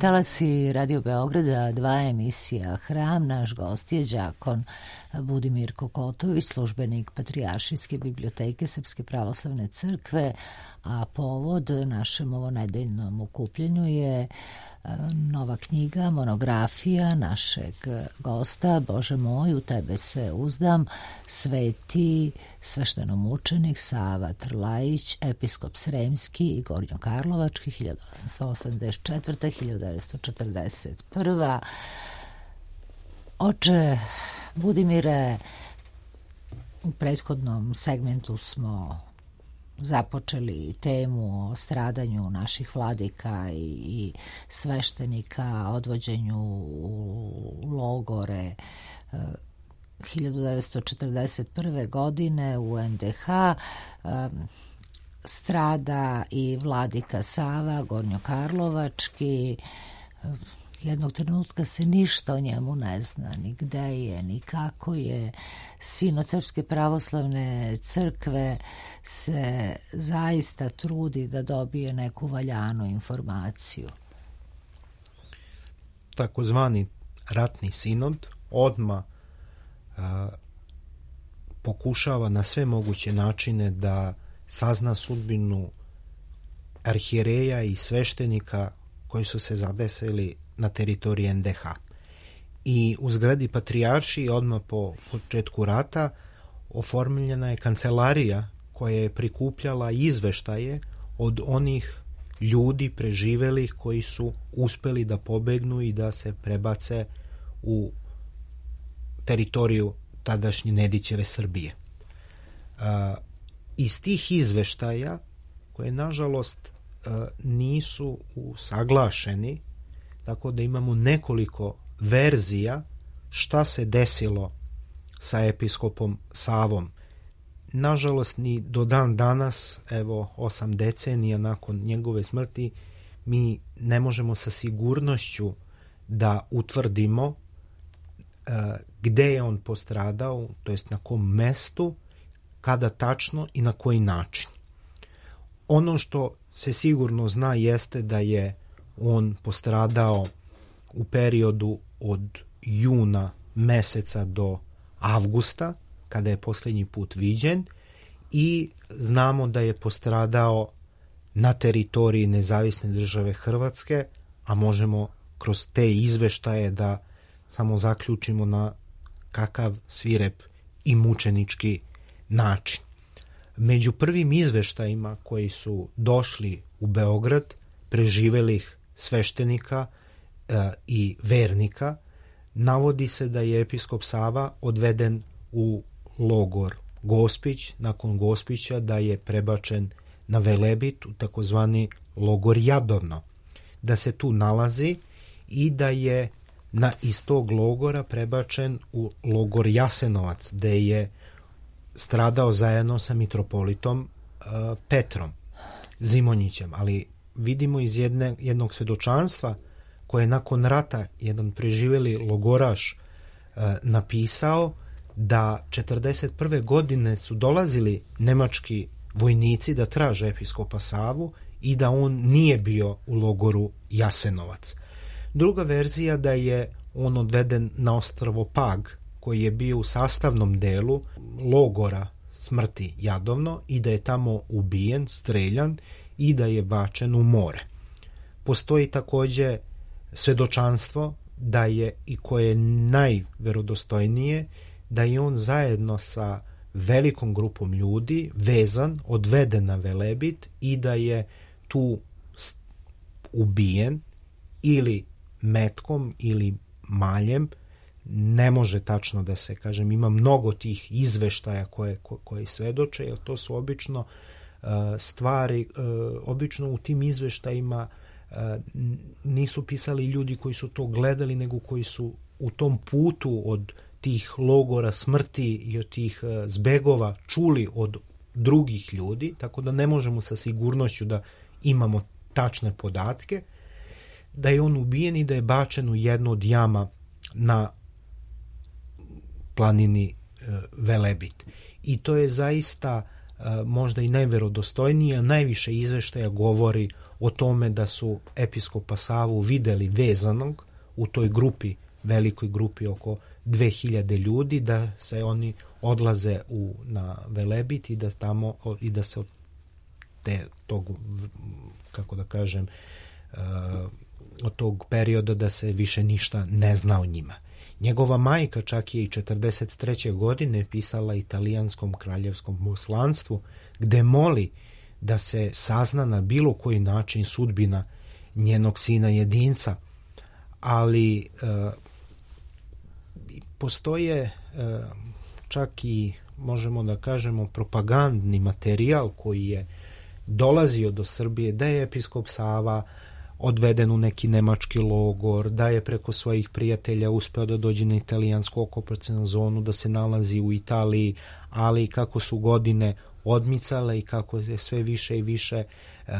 Talasi Radio Beograda, 2 emisija Hram. Naš gost je đakon Budimir Kokotović, službenik Patrijaršijske biblioteke Srpske pravoslavne crkve, a povod našem ovonedeljnom okupljenju je nova knjiga, monografija našeg gosta, Bože moj, u tebe se uzdam, sveti sveštenomučenik Sava Trlajić, episkop Sremski i Gornjokarlovački, 1884-1941. Oče Budimire, U prethodnom segmentu smo započeli temu o stradanju naših vladika i sveštenika, odvođenju u logore 1941. godine u NDH. Strada i vladika Sava, gornjokarlovački. Jednog trenutka se ništa o njemu ne zna, ni gde je, ni kako je. Sin od Srpske pravoslavne crkve se zaista trudi da dobije neku valjanu informaciju. Takozvani ratni sinod odmah pokušava na sve moguće načine da sazna sudbinu arhijereja i sveštenika koji su se zadesili na teritoriji NDH. I u zgradi Patrijaršije odmah po početku rata oformljena je kancelarija koja je prikupljala izveštaje od onih ljudi preživelih koji su uspeli da pobegnu i da se prebace u teritoriju tadašnje Nedićeve Srbije. Iz tih izveštaja, koje nažalost nisu usaglašeni, tako da imamo nekoliko verzija šta se desilo sa episkopom Savom. Nažalost, ni do dan danas, evo 8 decenija nakon njegove smrti, mi ne možemo sa sigurnošću da utvrdimo gde je on postradao, to jest na kom mestu, kada tačno i na koji način. Ono što se sigurno zna jeste da je on postradao u periodu od juna meseca do avgusta, kada je posljednji put viđen, i znamo da je postradao na teritoriji Nezavisne države Hrvatske, a možemo kroz te izveštaje da samo zaključimo na kakav svirep i mučenički način. Među prvim izveštajima koji su došli u Beograd, preživelih sveštenika i vernika, navodi se da je episkop Sava odveden u logor Gospić, nakon Gospića da je prebačen na Velebit u takozvani logor Jadovno, da se tu nalazi i da je iz tog logora prebačen u logor Jasenovac, gde je stradao zajedno sa mitropolitom Petrom Zimonjićem. Ali vidimo iz jednog svedočanstva koje je nakon rata jedan preživeli logoraš napisao da 1941. godine su dolazili nemački vojnici da traže episkopa Savu i da on nije bio u logoru Jasenovac. Druga verzija da je on odveden na ostrvo Pag, koji je bio u sastavnom delu logora smrti Jadovno i da je tamo ubijen, streljan i da je bačen u more. Postoji također svedočanstvo da je, i koje je najverodostojnije, da je on zajedno sa velikom grupom ljudi vezan, odveden na Velebit i da je tu ubijen ili metkom ili maljem. Ne može tačno da se kažem, ima mnogo tih izveštaja koje svedoče, jer to su obično stvari, obično u tim izveštajima nisu pisali ljudi koji su to gledali, nego koji su u tom putu od tih logora smrti i od tih zbegova čuli od drugih ljudi, tako da ne možemo sa sigurnošću da imamo tačne podatke, da je on ubijen i da je bačen u jednu od jama na planini Velebit. I to je zaista možda i najverodostojnije, najviše izveštaja govori o tome da su episkopa Savu videli vezanog u toj grupi, velikoj grupi oko 2000 ljudi, da se oni odlaze na Velebit i da tamo i da se od tog, kako da kažem, od tog perioda da se više ništa ne zna o njima. Njegova majka čak je i 1943. godine pisala italijanskom kraljevskom poslanstvu gde moli da se sazna na bilo koji način sudbina njenog sina jedinca, ali postoje čak i možemo da kažemo, propagandni materijal koji je dolazio do Srbije, da je episkop Sava odveden u neki nemački logor, da je preko svojih prijatelja uspeo da dođe na italijansku okupacionu zonu, da se nalazi u Italiji, ali kako su godine odmicale i kako je sve više i više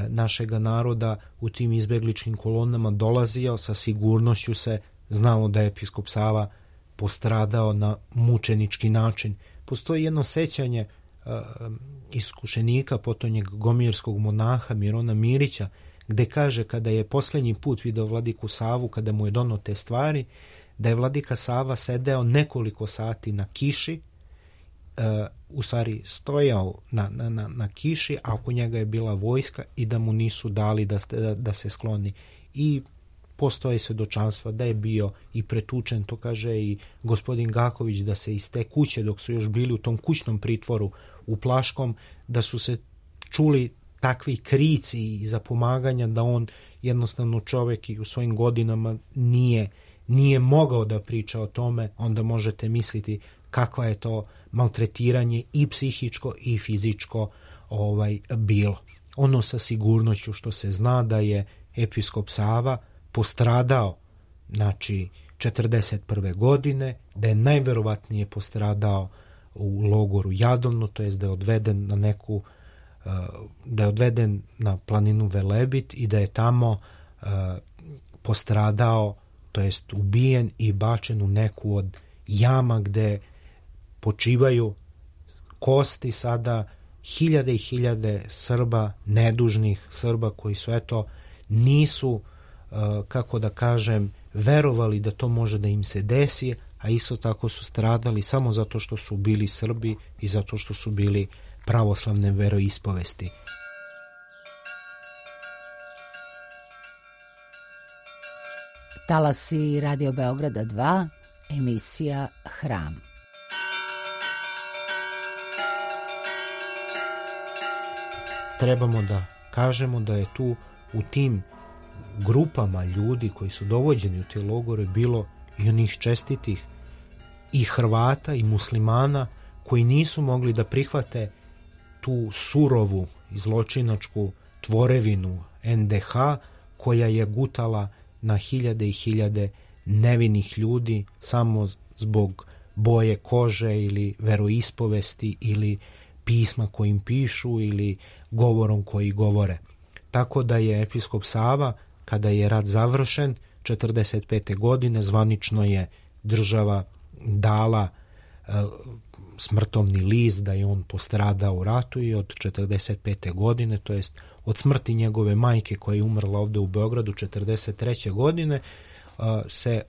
našega naroda u tim izbegličkim kolonama dolazio, sa sigurnošću se znalo da je episkop Sava postradao na mučenički način. Postoji jedno sećanje iskušenika, potonjeg gomirskog monaha Mirona Mirića, gde kaže kada je posljednji put video vladiku Savu, kada mu je donio te stvari, da je vladika Sava sedeo nekoliko sati na kiši, u stvari stojao na kiši, a oko njega je bila vojska i da mu nisu dali da se skloni. I postoje svedočanstva da je bio i pretučen, to kaže i gospodin Gaković, da se iz te kuće, dok su još bili u tom kućnom pritvoru u Plaškom, da su se čuli takvi krici i zapomaganja da on jednostavno čovjek i u svojim godinama nije mogao da priča o tome. Onda možete misliti kakva je to maltretiranje i psihičko i fizičko bilo. Ono sa sigurnošću što se zna da je episkop Sava postradao, znači 41. godine, da je najverovatnije postradao u logoru Jadovno, to jest da je odveden na neku da je odveden na planinu Velebit i da je tamo postradao, to jest ubijen i bačen u neku od jama gde počivaju kosti sada hiljade i hiljade Srba, nedužnih Srba koji su nisu, kako da kažem, verovali da to može da im se desi, a isto tako su stradali samo zato što su bili Srbi i zato što su bili pravoslavne veroispovesti. Talasi Radio Beograda 2, emisija Hram. Trebamo da kažemo da je tu u tim grupama ljudi koji su dovođeni u te logore bilo i onih čestitih i Hrvata i muslimana koji nisu mogli da prihvate tu surovu i zločinačku tvorevinu NDH koja je gutala na hiljade i hiljade nevinih ljudi samo zbog boje kože ili veroispovesti ili pisma kojim pišu ili govorom koji govore. Tako da je episkop Sava, kada je rat završen 45. godine, zvanično je država dala smrtovni list da je on postradao u ratu i od 45. godine, to jest od smrti njegove majke koja je umrla ovde u Beogradu 43. godine, se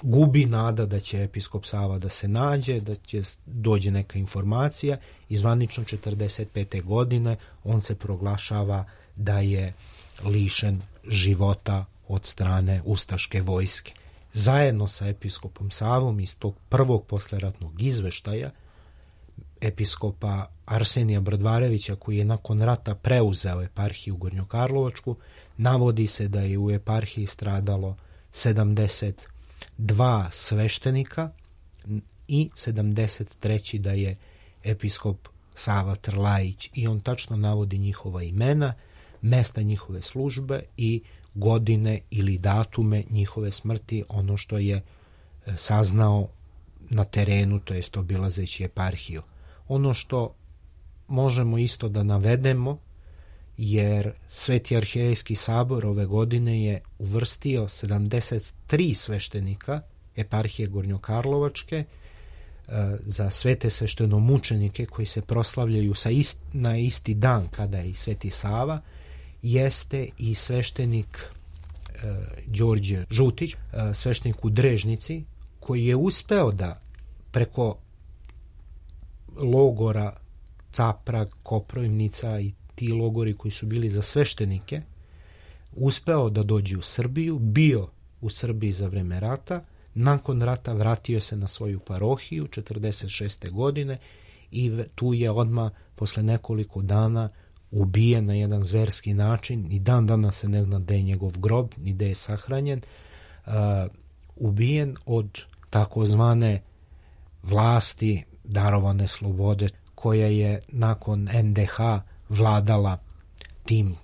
gubi nada da će episkop Sava da se nađe, da će dođe neka informacija i zvanično 45. godine on se proglašava da je lišen života od strane ustaške vojske. Zajedno sa episkopom Savom iz tog prvog posleratnog izveštaja episkopa Arsenija Brdvarevića, koji je nakon rata preuzeo eparhiju Gornjokarlovačku, navodi se da je u eparhiji stradalo 72 sveštenika i 73. da je episkop Sava Trlajić, i on tačno navodi njihova imena, mesta njihove službe i godine ili datume njihove smrti, ono što je saznao na terenu, to jest obilazeći eparhiju. Ono što možemo isto da navedemo, jer Sveti arhierejski sabor ove godine je uvrstio 73 sveštenika eparhije Gornjokarlovačke za svete sveštenomučenike koji se proslavljaju na isti dan kada je i Sveti Sava, jeste i sveštenik Đorđe Žutić, sveštenik u Drežnici, koji je uspeo da preko logora Caprag, Koprivnica i ti logori koji su bili za sveštenike, uspeo da dođe u Srbiju, bio u Srbiji za vreme rata, nakon rata vratio se na svoju parohiju 46. godine i tu je odmah posle nekoliko dana ubijen na jedan zverski način i dan danas se ne zna gde je njegov grob ni gde je sahranjen, ubijen od takozvane vlasti darovane slobode koja je nakon NDH vladala tim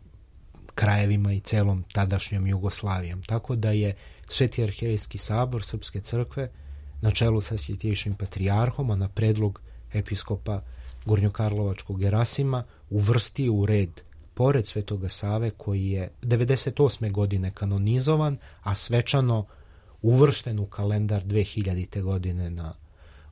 krajevima i celom tadašnjom Jugoslavijom. Tako da je Sveti arhijerejski sabor Srpske crkve na čelu sa Svjetejšim patrijarhom, a na predlog episkopa Gornjokarlovačkog Gerasima uvrstio u red pored Svetoga Save, koji je 98. godine kanonizovan, a svečano uvršten u kalendar 2000. godine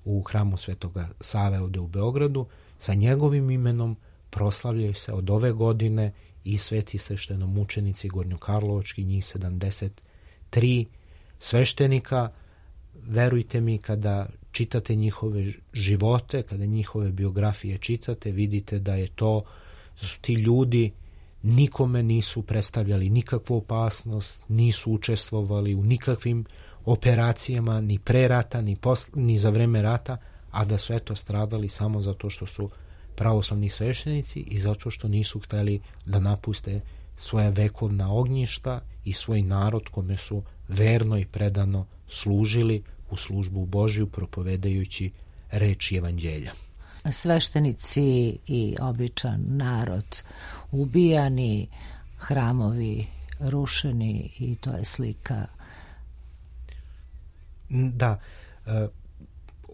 u hramu Svetoga Save ovde u Beogradu. Sa njegovim imenom proslavljaju se od ove godine i sveti sveštenomučenici gornjokarlovački, njih 73 sveštenika. Verujte mi, kada čitate njihove živote, kada njihove biografije čitate, vidite da su ti ljudi nikome nisu predstavljali nikakvu opasnost, nisu učestvovali u nikakvim operacijama, ni pre rata, ni za vreme rata, a da su stradali samo zato što su pravoslavni sveštenici i zato što nisu hteli da napuste svoja vekovna ognjišta i svoj narod kome su verno i predano služili u službu Božju, propovedajući reč evanđelja. Sveštenici i običan narod ubijani, hramovi rušeni, i to je slika. Da,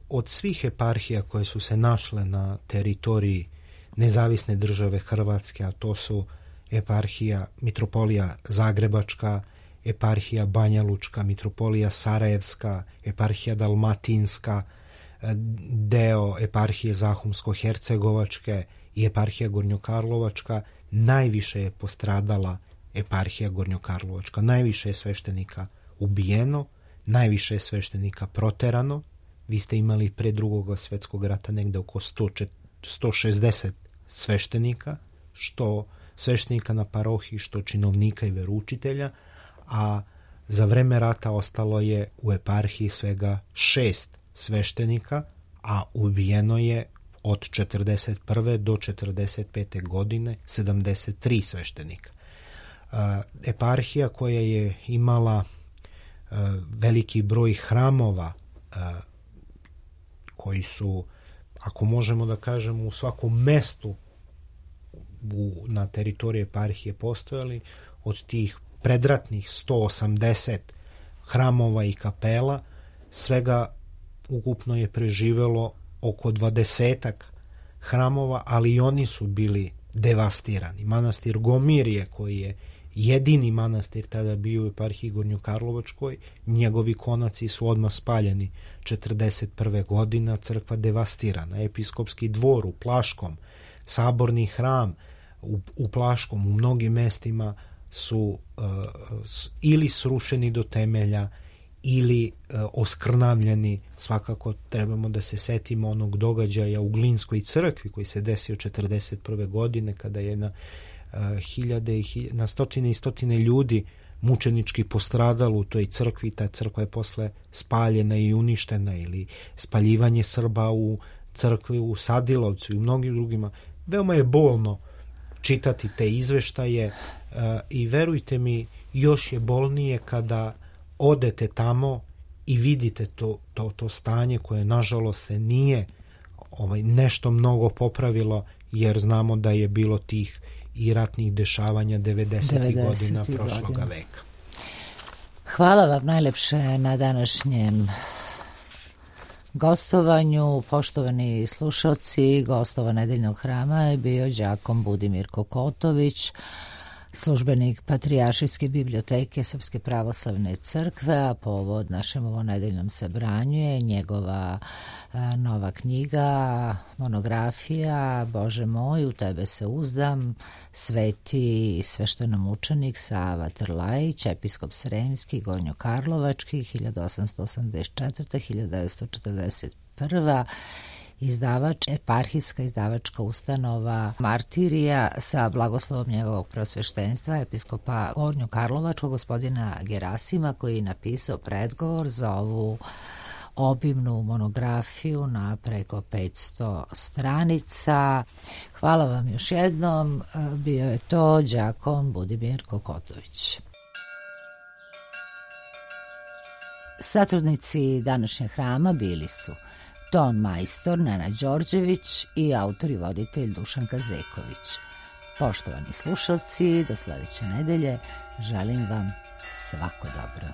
od svih eparhija koje su se našle na teritoriji nezavisne države Hrvatske, a to su eparhija Mitropolija Zagrebačka, eparhija Banjalučka, Mitropolija Sarajevska, eparhija Dalmatinska, deo eparhije Zahumsko-Hercegovačke i eparhija Gornjokarlovačka, najviše je postradala eparhija Gornjokarlovačka. Najviše je sveštenika ubijeno, najviše je sveštenika proterano. Vi ste imali pre Drugog svjetskog rata negde oko 160 sveštenika, što sveštenika na parohiji, što činovnika i veroučitelja, a za vreme rata ostalo je u eparhiji svega 6 sveštenika, a ubijeno je od 41. do 45. godine 73 sveštenika. Eparhija koja je imala veliki broj hramova koji su, ako možemo da kažemo, u svakom mestu na teritoriji eparhije postojali, od tih predratnih 180 hramova i kapela, svega ukupno je preživelo oko 20-ak hramova, ali i oni su bili devastirani. Manastir Gomirje, koji je jedini manastir tada bio u eparhiji Gornjokarlovačkoj, njegovi konaci su odmah spaljeni 41. godina, crkva devastirana, episkopski dvor u Plaškom, saborni hram u Plaškom, u mnogim mestima su ili srušeni do temelja ili oskrnavljeni. Svakako trebamo da se setimo onog događaja u Glinskoj crkvi koji se desio 41. godine, kada je na stotine i stotine ljudi mučenički postradalo u toj crkvi. Ta crkva je posle spaljena i uništena, ili spaljivanje Srba u crkvi u Sadilovcu i u mnogim drugima. Veoma je bolno čitati te izveštaje i verujte mi, još je bolnije kada odete tamo i vidite to stanje koje nažalost se nije nešto mnogo popravilo, jer znamo da je bilo tih i ratnih dešavanja 90. godina prošloga veka. Hvala vam najlepše na današnjem gostovanju. Poštovani slušalci, gostova Nedeljnog hrama je bio đakon Budimir Kokotović, službenik Patrijaršijske biblioteke Srpske pravoslavne crkve, a povod našem ovonedeljnom sabranju je njegova nova knjiga, monografija Bože moj, u tebe se uzdam, sveti sveštenomučenik Sava Trlajić, episkop Sremski, Gornjokarlovački, 1884-1941, izdavač, eparhijska izdavačka ustanova Martirija, sa blagoslovom njegovog prosveštenstva episkopa Gornjokarlovačkog gospodina Gerasima, koji je napisao predgovor za ovu obimnu monografiju na preko 500 stranica. Hvala vam još jednom. Bio je to đakon Budimir Kokotović. Satrudnici današnjeg hrama bili su ton majstor Nena Đorđević i autor i voditelj Dušan Kazeković. Poštovani slušalci, do sledeće nedelje želim vam svako dobro.